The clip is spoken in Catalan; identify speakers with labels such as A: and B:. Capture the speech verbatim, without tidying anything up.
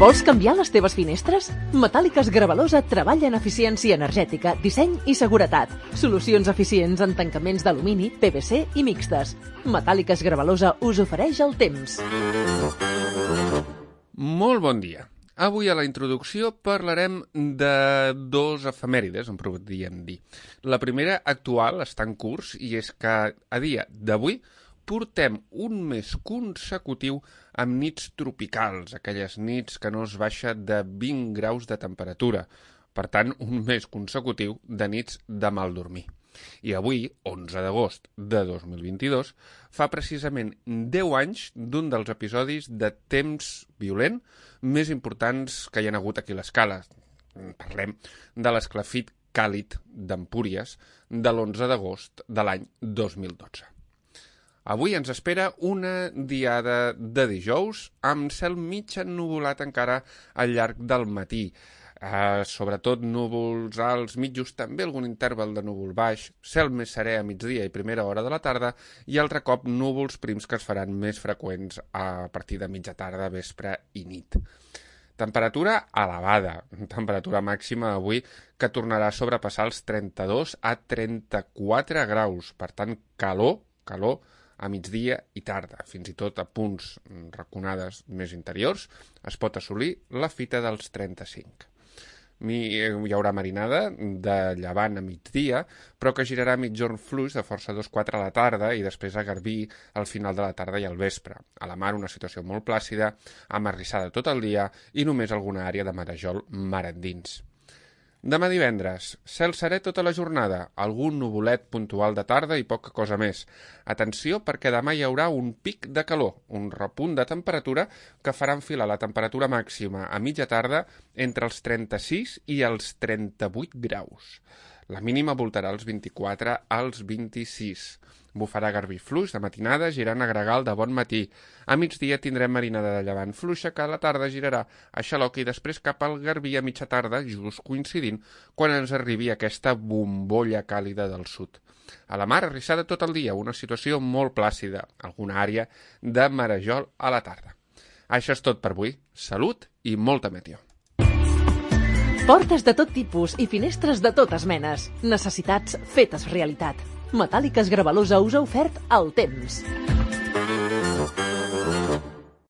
A: Vols canviar les teves finestres? Metàl·liques Gravalosa treballa en eficiència energètica, disseny i seguretat. Solucions eficients en tancaments d'alumini, P V C i mixtes. Metàl·liques Gravalosa us ofereix el temps.
B: Molt bon dia. Avui a la introducció parlarem de dos efemèrides, en podríem dir. La primera actual està en curs i és que a dia d'avui portem un mes consecutiu amb nits tropicals, aquelles nits que no es baixa de vint graus de temperatura. Per tant, un mes consecutiu de nits de mal dormir. I avui, onze d'agost de dos mil vint-i-dos, fa precisament deu anys d'un dels episodis de temps violent més importants que hi ha hagut aquí a l'escala. Parlem de l'esclafit càlid d'Empúries de l'onze d'agost de l'any dos mil dotze. Avui ens espera una diada de dijous amb cel mig ennuvolat encara al llarg del matí. Uh, sobretot núvols alts, mitjos, també algun interval de núvol baix, cel més serè a migdia i primera hora de la tarda i altre cop núvols prims que es faran més freqüents a partir de mitja tarda, vespre i nit. Temperatura elevada, temperatura màxima avui que tornarà a sobrepassar els trenta-dos a trenta-quatre graus, per tant calor, calor a migdia i tarda, fins i tot a punts raconades més interiors, es pot assolir la fita dels trenta-cinc. Hi haurà marinada de llevant a migdia, però que girarà mitjorn fluix de força dos quatre a la tarda i després a garbí al final de la tarda i al vespre. A la mar una situació molt plàcida, amb arrissada tot el dia i només alguna àrea de marejol mar endins. Demà divendres, cel serè tota la jornada, algun nuvolet puntual de tarda i poca cosa més. Atenció perquè demà hi haurà un pic de calor, un repunt de temperatura que farà enfilar la temperatura màxima a mitja tarda entre els trenta-sis i els trenta-vuit graus. La mínima voltarà els vint-i-quatre als vint-i-sis. Bufarà garbí fluix de matinada girant a gregal de bon matí. A migdia tindrem marinada de llevant fluixa que a la tarda girarà a xaloc i després cap al garbí a mitja tarda, just coincidint quan ens arribi aquesta bombolla càlida del sud. A la mar arrissada tot el dia, una situació molt plàcida, alguna àrea de marejol a la tarda. Això és tot per avui. Salut i molta meteo.
A: Portes de tot tipus i finestres de totes menes. Necessitats fetes realitat. Metàl·liques Gravalosa us ha ofert el temps.